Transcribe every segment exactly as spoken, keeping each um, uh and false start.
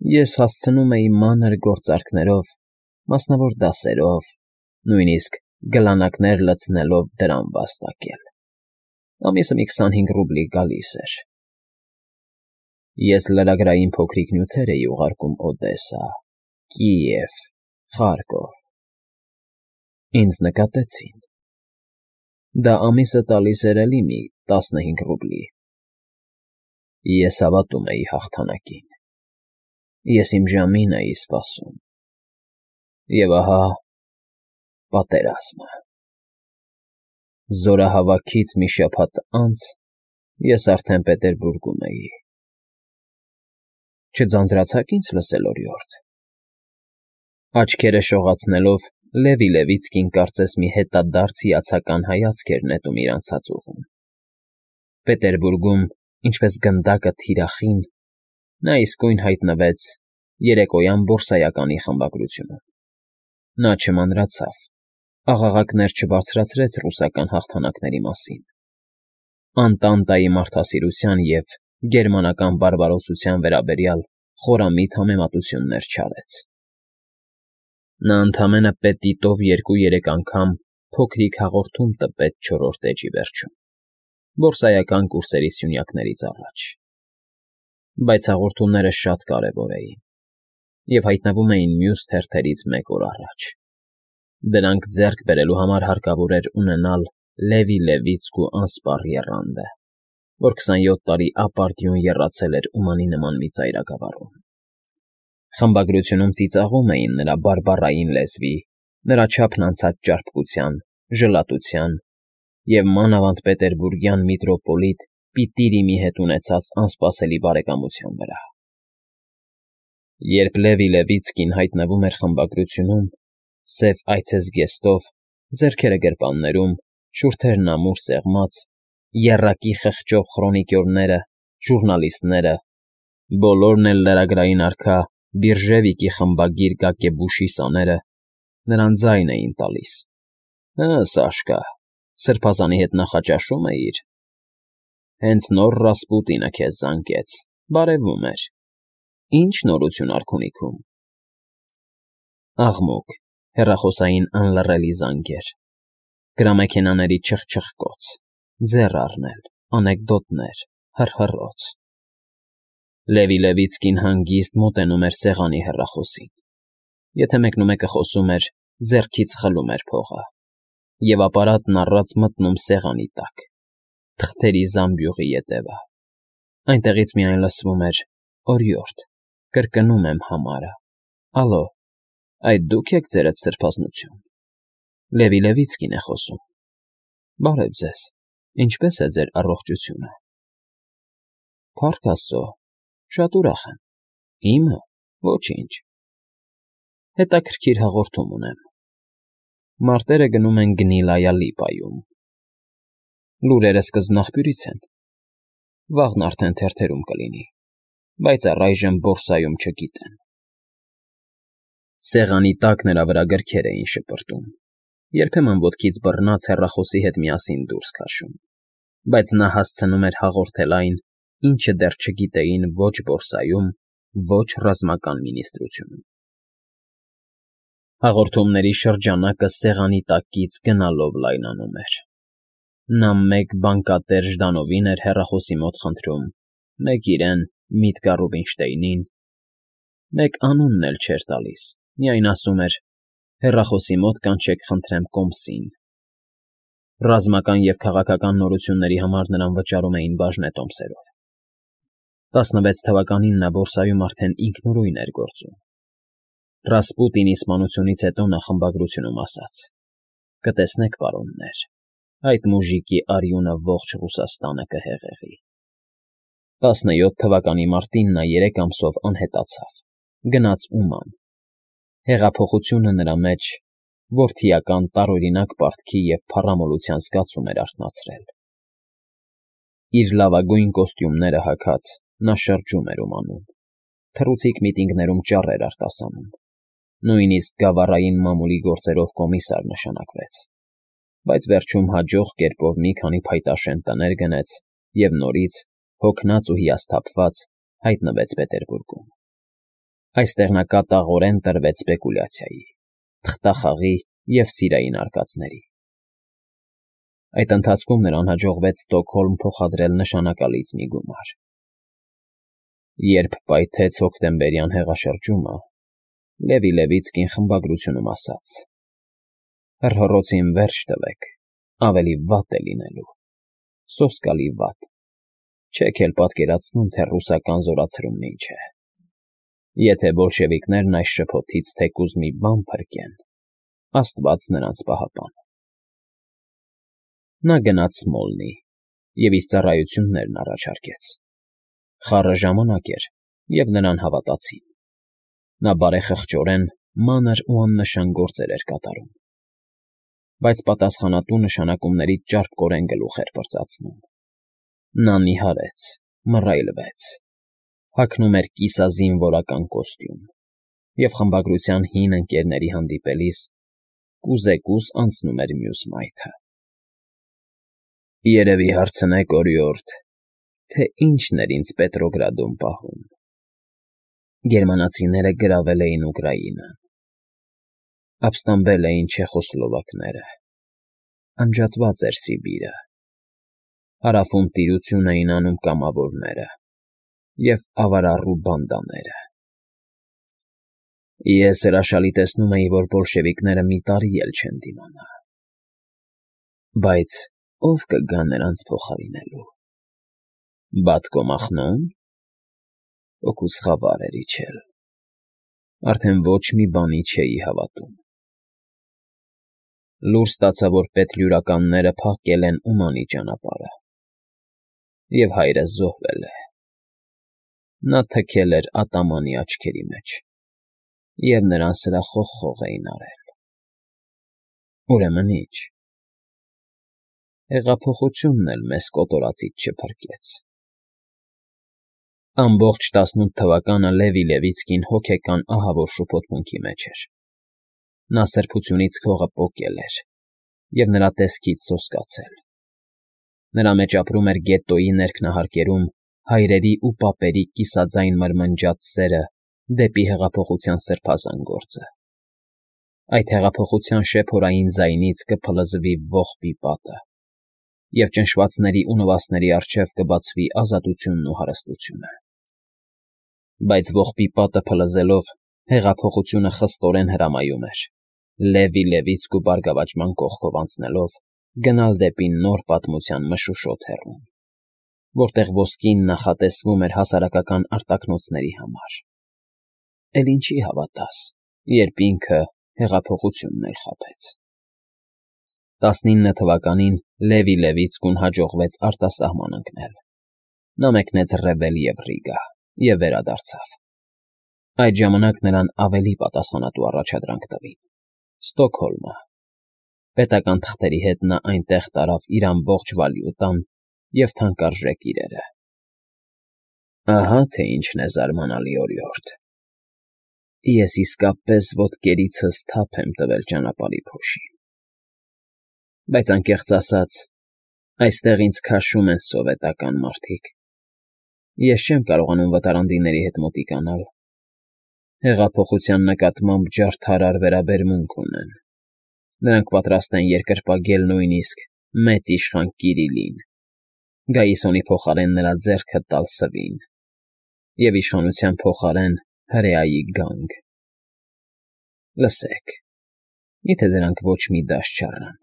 Ես հասցնում էի մանր գործարքներով, մասնավոր դասերով, նույնիսկ գլանակներ լցնելով դրամ վաստակել, ամիսը մի քսանհինգ ռուբլի գալիս էր. ես լրագրային փոքրիկ նյութեր էի ուղարկում Օդեսա, Կիև, Խարկով. ինձ նկատեցին. դա ամիսը տալիս էր էլի մի տասնհինգ ռուբլի. ես հավատում էի հաղթանակին, ես իմ ժամին էի սպասում, և ահա պատերազմը… Զորահավաքից մի շաբաթ անց ես արդեն Պետերբուրգում էի… Չձանձրացա՞ք ինձ լսել, օրիորդ… Աչքերը շողացնելով՝ Լևի Լևիցկին կարծես մի հետադարձ հիացական հայացք էր նետում իր անցած ուղուն… Պետերբուրգում, ինչպես գնդակը թիրախին, նա իսկույն հայտնվեց երեկոյան բորսայականի խմբագրությունում… Նա չմանրացավ, աղաղակներ չբարձրացրեց ռուսական հաղթանակների մասին, Անտանտայի մարդասիրության և գերմանական բարբարոսության վերաբերյալ խորամիտ համեմատություններ չարեց… Նա ընդամենը պետիտով երկու֊երեք անգամ փոքրիկ հաղորդում տպեց չորրորդ էջի վերջում, բորսայական կուրսերի սյունյակներից առաջ… Բայց հաղորդումները շատ կարևոր էին և հայտնվում էին մյուս թերթերից մեկ օր առաջ… Դրանք ձեռք բերելու համար հարկավոր էր ունենալ Լևի Լևիցկու անսպառ եռանդը, որ քսանյոթ տարի ապարդյուն եռացել էր Ումանի նման մի ծայրագավառում… Խմբագրությունում ծիծաղում էին նրա բարբառային լեզվի, նրա չափն անցած ճարպկության, ժլատության և մանավանդ պետերբուրգյան միտրոպոլիտ Պիտիրիմի հետ ունեցած անսպասելի բարեկամության վրա… Երբ Լևի Լևիցկին հայտնվում էր խմբագրությունում, սև այցեզգեստով, ձեռքերը գրպաններում, շուրթերն ամուր սեղմած, եռակի խղճով խրոնիկյորները, ժուռնալիստները, բոլորն էլ լրագրային արքա Բիržևիկի խմբագիր Գակեբուշի սաները նրան ձայն էին տալիս. «Հը, Սաշկա, սրբազանի հետ նախաճաշո՞ւմ էիր… Հենց նոր Ռասպուտինը քեզ զանգեց, բարևում էր… Ի՞նչ նորություն արքունիքում»… Աղմուկ, հեռախոսային անլռելի զանգեր, գրամեքենաների չխչխկոց, ձեռ առնել, անեկդոտներ, հռհռոց… Լևի Լևիցկին հանգիստ մոտենում էր սեղանի հեռախոսին, եթե մեկնումեկը խոսում էր, ձեռքից խլում էր փողը, և ապարատն առած մտնում սեղանի տակ, թղթերի զամբյուղի ետևը… Այնտեղից միայն լսվում էր. «Օրիորդ, կրկնում եմ համարը, ալո, այդ դու՞ք եք, ձերդ սրբազնություն… Լևի Լևիցկին է խոսում… Բարև ձեզ, ինչպե՞ս է ձեր առողջությունը… Փառք աստծո, շատ ուրախ եմ… Իմը… ոչինչ… Հետաքրքիր հաղորդում ունեմ… Մարտերը գնում են Գնիլայա Լիպայում… Լուրերը սկզբնաղբյուրից են… Վաղն արդեն թերթերում կլինի, բայց առայժմ բորսայում չգիտեն…» Սեղանի տակ նրա վրա գրքեր էին շպրտում, երբեմն ոտքից բռնած հեռախոսի հետ միասին դուրս քաշում, բայց նա հասցնում էր հաղորդել այն, ինչը դեռ չգիտեին ո՛չ բորսայում, ո՛չ ռազմական մինիստրությունում… Հաղորդումների շրջանակը սեղանի տակից գնալով լայնանում էր… Նա մեկ բանկատեր Ժդանովին էր հեռախոսի մոտ խնդրում, մեկ իրեն՝ Միտկա Ռուբինշտեյնին, մեկ անունն էլ չէր տալիս, միայն ասում էր. «Հեռախոսի մոտ կանչեք խնդրեմ կոմսին…» Ռազմական և քաղաքական նորությունների համար նրան վճարում էին բաժնետոմսերով… Տասնվեց թվականին նա բորսայում արդեն ինքնուրույն էր գործում… Ռասպուտինի սպանությունից հետո նա խմբագրությունում ասաց. «Կտեսնեք, պարոններ, այդ մուժիկի արյունը ողջ Ռուսաստանը կհեղեղի…» Տասնյոթ թվականի մարտին նա երեք ամսով անհետացավ, գնաց Ուման… Հեղափոխությունը նրա մեջ որդիական տարօրինակ պարտքի և փառամոլության զգացում էր արթնացրել… Իր լավագույն կոստյումները հագած՝ նա շրջում էր Ումանում, թռուցիկ միտինգներում ճառեր արտասանում, նույնիսկ գավառային մամուլի գործերով կոմիսար նշանակվեց, բայց վերջում հաջող կերպով մի քանի փայտաշեն տներ գնեց և նորից, հոգնած ու հիասթափված, հայտնվեց Պետերբուրգում… Այստեղ նա կատաղորեն տրվեց սպեկուլյացիայի, թղթախաղի և սիրային արկածների։ Այդ ընթացքում նրան հաջողվեց Ստոկհոլմ փոխադրել նշանակալից մի գումար։ Երբ պայթեց հոկտեմբերյան հեղաշրջումը, Լևի Լևիցկին խմբագրությունում ասաց. «Հռհռոցին վերջ տվեք, ավելի վատ է լինելու, սոսկալի վատ, չեք էլ պատկերացնում, թե ռուսական զորացրումն ինչ է։ Եթե բոլշևիկներն այս շփոթից թեկուզ մի բան փրկեն, աստված նրանց պահապան»։ Նա գնաց Սմոլնի և իր ծառայություններն առաջարկեց։ Խառը ժամանակ էր, և նրան հավատացին։ Նա բարեխղճորեն մանր ու աննշան գործեր էր կատարում, բայց պատասխանատու նշանակումներից ճարպկորեն գլուխ էր պրծացնում։ Նա նիհարեց, մռայլվեց, հագնում էր կիսազինվորական կոստյում և խմբագրության հին ընկերների հանդիպելիս կուզեկուս անցնում էր մյուս մայթը։ «Երևի հարցնեք, օրիորդ, թե ինչն էր ինձ Պետրոգրադում պահում։ Գերմանացիները գրավել էին Ուկրաինան, ապստամբել էին չեխոսլովակները, անջատված էր Սիբիրը, հարավում տիրություն էին անում կամավորները և ավարառու բանդաները։ Ես հրաշալի տեսնում էի, որ բոլշևիկները մի տարի էլ չեն դիմանա։ Բայց ո՞վ կգա նրանց փոխարինելու։ Բատկո Մախնո՞ն։ Հոգուս խավար էր իջել, արդեն ոչ մի բանի չէի հավատում։ Լուր ստացա, որ պետլյուրականները փախկել են Ումանի ճանապարհը, և հայրս զոհվել է։ Նա թքել էր ատամանի աչքերի մեջ, և նրան սրա խողխող էին արել։ Ուրեմն ի՞նչ։ Հեղափոխությունն էլ մեզ կոտորածից չփրկեց»։ Ամբողջ տասնութ թվականը Լևի Լևիցկին հոգեկան ահավոր շփոթմունքի մեջ էր։ Նա սրբությունից քողը պոկել էր և նրա տեսքից սոսկացել։ Նրա մեջ ապրում էր գետոյի ներքնահարկերում հայրերի ու պապերի կիսաձայն մրմնջաց սերը դեպի հեղափոխության սրբազան գործը։ Այդ հեղափոխության շեփորային ձայնից կփլզվի ողբի պատը, և ճնշվածների ու նվաստների առջև կբացվի ազատությունն ու հարստությունը։ Բայց ողբի պատը փլզելով հեղափոխությունը խստորեն հրամայում էր, Լևի Լևիցկու բարգավաճման կողքով անցնելով, գնալ դեպի նոր պատմության մշուշոտ հեռուն, որտեղ ոսկին նախատեսվում էր հասարակական արտաքնոցների համար։ Էլ ինչի հավատաս, երբ ինքը հեղափոխությունն էլ խաբեց։ Տասնինը թվականին Լևի Լևիցկուն հաջողվեց արտասահման ընկնել։ Նա մեկնեց Ռևել և Ռիգա և վերադարձավ։ Այդ ժամանակ նրան ավելի պատասխանատու առաջադրանք տվին՝ Ստոկհոլմը։ Պետական թղթերի հետ նա այնտեղ տարավ իր ամբողջ վալյուտան և թանկարժեք իրերը։ Ահա թե ինչն է զարմանալի, օրիորդ, ես իսկապես ոտքերիցս թափ եմ տվել ճանապարհի փոշին։ Բայց անկեղծ ասած, այստեղ ինձ քաշում են սովետական մարդիկ։ Ես չեմ կարողանում վտարանդիների հետ մոտիկանալ։ Հեղափոխության նկատմամբ ջարդարար վերաբերմունք ունեն։ Նրանք պատրաստ են երկրպագել նույնիսկ մեծ իշխան Կիրիլին, Գայիսոնի փոխարեն նրա ձեռքը տալ սվին և իշխանության փոխարեն հրեայի գանգ։ Լսեք, մի՞թե դրանք ոչ մի դաս չառան։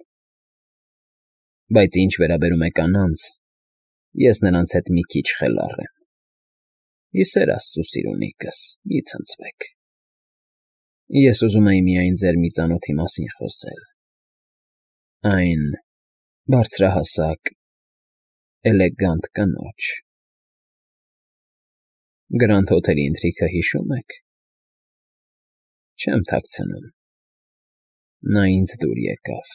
Բայց ինչ վերաբերում է կանանց, ես նրանց հետ մի քիչ խելառ եմ։ Ի սեր աստծու, սիրունիկս, մի ցնցվեք։ Ես ուզում էի միայն ձեր մի ծանոթի մասին խոսել։ Այն բարձրահասակ, էլեգանտ կնոջ։ Գրանդ Հոթելի ընթրիքը հիշո՞ւմ եք։ Չեմ թաքցնում, նա ինձ դուր եկավ։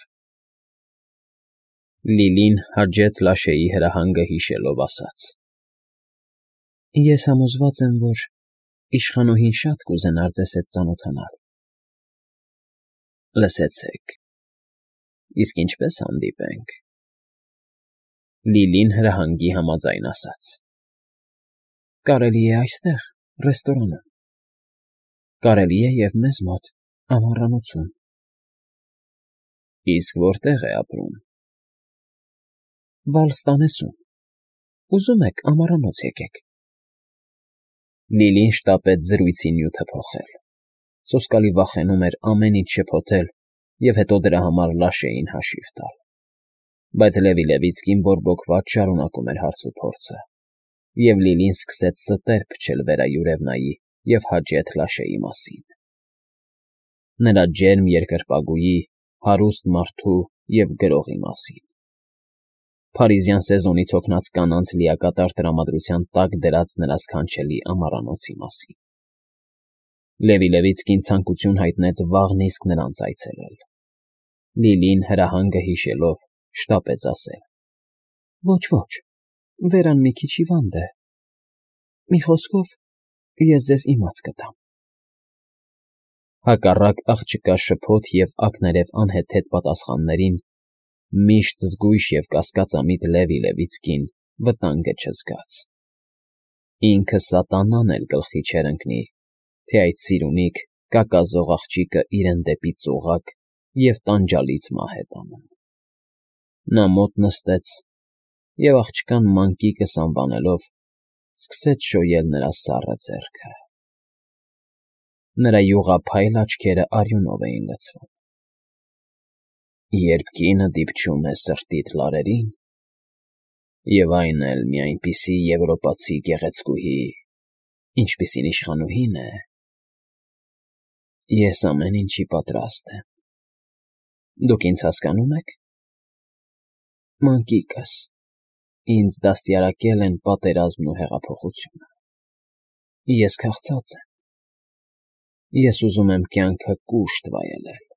Լիլին Հաջեթ Լաշեի հրահանգը հիշելով ասաց. Ես համոզված եմ, որ իշխանուհին շատ կուզենար ձեզ հետ ծանոթանալ։ Լսեցեք, իսկ ինչպե՞ս հանդիպենք։ Լիլին հրահանգի համաձայն ասաց. Կարելի է այստեղ, ռեստորանում։ Կարելի է և մեզ մոտ ամառանոցում։ Իսկ որտե՞ղ է ապրում։ Վալստանեսում։ Ուզում եք ամառանոց եկեք։ Լիլին շտապեց զրույցի նյութը փոխել. սոսկալի վախենում էր ամեն ինչ շփոթել և հետո դրա համար Լաշեին հաշիվ տալ, բայց Լևի Լևիցկին բորբոքված շարունակում էր հարցուփորձը, և Լիլին սկսեց ստեր փչել վերայուրևնայի և հաճետ Լաշեի մասին, նրա ջերմ երկրպագուի, հարուստ մարդու և գրողի մասին, փարիզյան սեզոնից հոգնած կանանց լիակատար տրամադրության տակ դրած նրա սքանչելի ամառանոցի մասին։ Լևի Լևիցկին ցանկություն հայտնեց վաղն իսկ նրանց այցելել։ Լիլին, հրահանգը հիշելով, շտապեց ասել. Ոչ, ոչ, Վերան մի քիչ հիվանդ է։ Մի խոսքով, ես ձեզ իմաց կտամ։ Հակառակ աղջկա շփոթ և ակներև անհեթեթ պատասխաններին, միշտ զգույշ և կասկածամիտ Լևի Լևիցկին վտանգը չզգաց։ Ինքը սատանան էլ գլխի չէր ընկնի, թե այդ սիրունիկ, կակազող աղջիկը իրեն դեպի ծուղակ և տանջալից մահ է տանում։ Նա մոտ նստեց և, աղջկան մանկիկս անվանելով, սկսեց շոյել նրա սառը ձեռքը։ Նրա յուղափայլ աչքերը արյունով էին լցվում։ Երբ կինը դիպչում է սրտիդ լարերին, և այն էլ մի այնպիսի եվրոպացի գեղեցկուհի, ինչպիսին իշխանուհին է, ես ամեն ինչի պատրաստ եմ։ Դուք ինձ հասկանո՞ւմ եք։ Մանկիկս, ինձ դաստիարակել են պատերազմն ու հեղափոխությունը։ Ես քաղցած եմ։ Ես ուզում եմ կյանքը կուշտ վայելել։